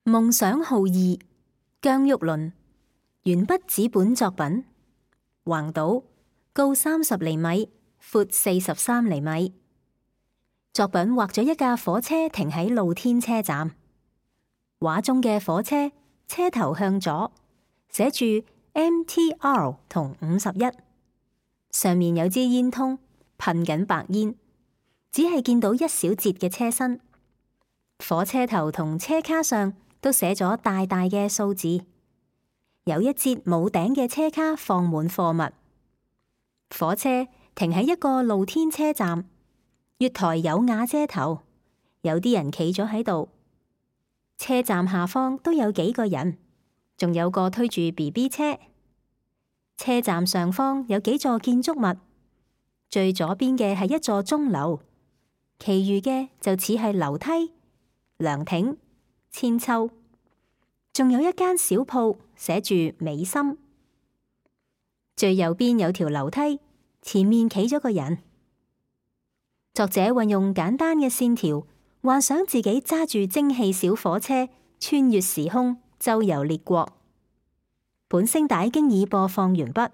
夢想號二，姜郁麟，鉛筆紙本作品，橫島，高30厘米，闊43厘米。作品畫咗一架火車停喺露天車站，畫中嘅火車車頭向左，寫住 MTR 同51，上面有支煙通噴緊白煙，只係見到一小節嘅車身。火車頭同車卡上都寫咗大大嘅數字，有一節冇頂嘅車卡放滿貨物。火車停喺一個露天車站，月台有瓦遮頭，有啲人企咗喺度。車站下方都有幾個人，仲有個推住 BB 車。車站上方有幾座建築物，最左邊嘅係一座鐘樓，其餘嘅就似係樓梯、涼亭、韆鞦，仲有一間小鋪寫住美心。最右邊有條樓梯，前面企咗個人。作者運用簡單嘅線條，幻想自己揸住蒸汽小火車穿越時空，周遊列國。本聲帶經已播放完畢。